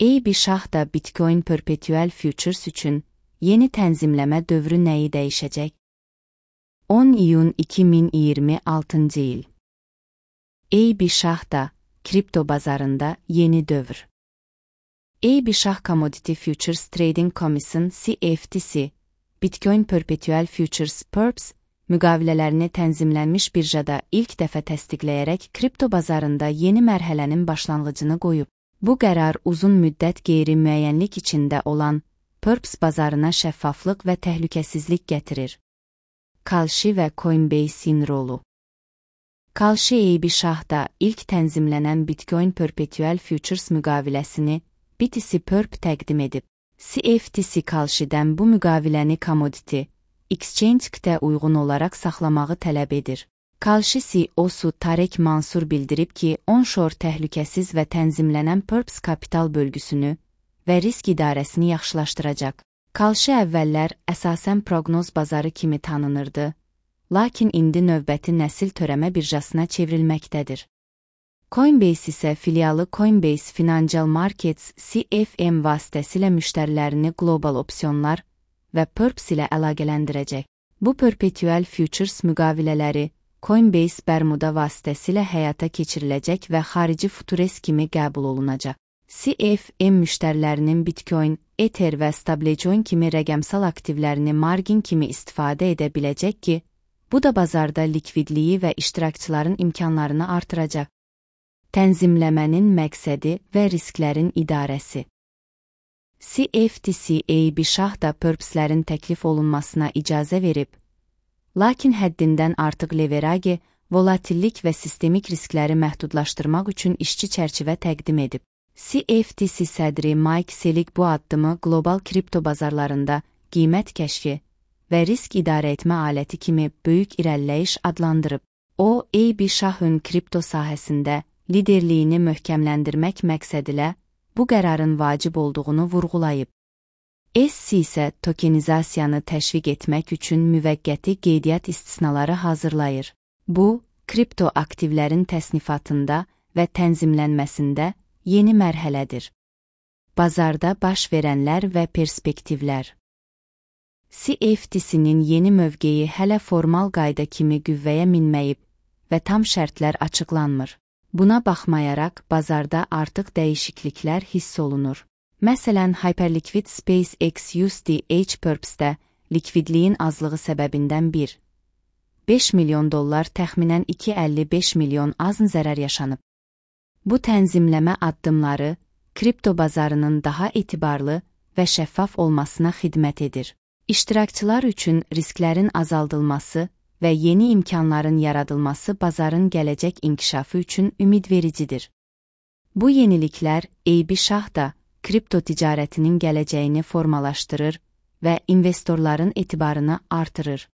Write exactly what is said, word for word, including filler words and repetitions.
A B Shah da Bitcoin Perpetual Futures üçün yeni tənzimləmə dövrü nəyi dəyişəcək? on iyun iki min iyirmi altıncı il. A B Shah da kripto bazarında yeni dövr. A B Shah Commodity Futures Trading Commission C F T C, Bitcoin Perpetual Futures Perps, müqavilələrini tənzimlənmiş birjada ilk dəfə təsdiqləyərək kripto bazarında yeni mərhələnin başlanğıcını qoyub. Bu qərar uzun müddət qeyri-müəyyənlik içində olan Perps bazarına şəffaflıq və təhlükəsizlik gətirir. Kalshi və Coinbase'in rolu. Kalshi A B Shah'da ilk tənzimlənən Bitcoin Perpetual Futures müqaviləsini B T C Perp təqdim edib. C F T C Kalshi'dən bu müqaviləni Commodity Exchange-də uyğun olaraq saxlamağı tələb edir. Kalshi C E O-su Tarek Mansur bildirib ki, onshore təhlükəsiz və tənzimlənən Perps kapital bölgüsünü və risk idarəsini yaxşılaşdıracaq. Kalshi əvvəllər əsasən proqnoz bazarı kimi tanınırdı, lakin indi növbəti nəsil törəmə birjasına çevrilməkdədir. Coinbase isə filialı Coinbase Financial Markets C F M vasitəsilə müştərilərini qlobal opsiyonlar və Perps ilə əlaqələndirəcək. Bu Perpetual Futures müqavilələri Coinbase Bermuda vasitəsilə həyata keçiriləcək və xarici futures kimi qəbul olunacaq. C F M müştərilərinin Bitcoin, Ether və Stablecoin kimi rəqəmsal aktivlərini margin kimi istifadə edə biləcək ki, bu da bazarda likvidliyi və iştirakçıların imkanlarını artıracaq. Tənzimləmənin məqsədi və risklərin idarəsi. C F T C A B Shah da Perpslərin təklif olunmasına icazə verib, lakin həddindən artıq leverage, volatillik və sistemik riskləri məhdudlaşdırmaq üçün işçi çərçivə təqdim edib. C F T C sədri Mike Selig bu addımı qlobal kripto bazarlarında qiymət kəşfi və risk idarə etmə aləti kimi böyük irəliləyiş adlandırıb. O, A B Shah'ın kripto sahəsində liderliyini möhkəmləndirmək məqsədilə bu qərarın vacib olduğunu vurğulayıb. S E C isə tokenizasiyanı təşviq etmək üçün müvəqqəti qeydiyyat istisnaları hazırlayır. Bu, kripto aktivlərin təsnifatında və tənzimlənməsində yeni mərhələdir. Bazarda baş verənlər və perspektivlər. C F T C'nin yeni mövqeyi hələ formal qayda kimi qüvvəyə minməyib və tam şərtlər açıqlanmır. Buna baxmayaraq, bazarda artıq dəyişikliklər hiss olunur. Məsələn, Hyperliquid SpaceX U S D H Perps'də likvidliyin azlığı səbəbindən bir nöqtə beş milyon dollar təxminən iki nöqtə əlli beş milyon azn zərər yaşanıb. Bu tənzimləmə addımları kripto bazarının daha etibarlı və şəffaf olmasına xidmət edir. İştirakçılar üçün risklərin azaldılması və yeni imkanların yaradılması bazarın gələcək inkişafı üçün ümidvericidir. Bu yeniliklər A B Shah da kripto ticarətinin gələcəyini formalaşdırır və investorların etibarını artırır.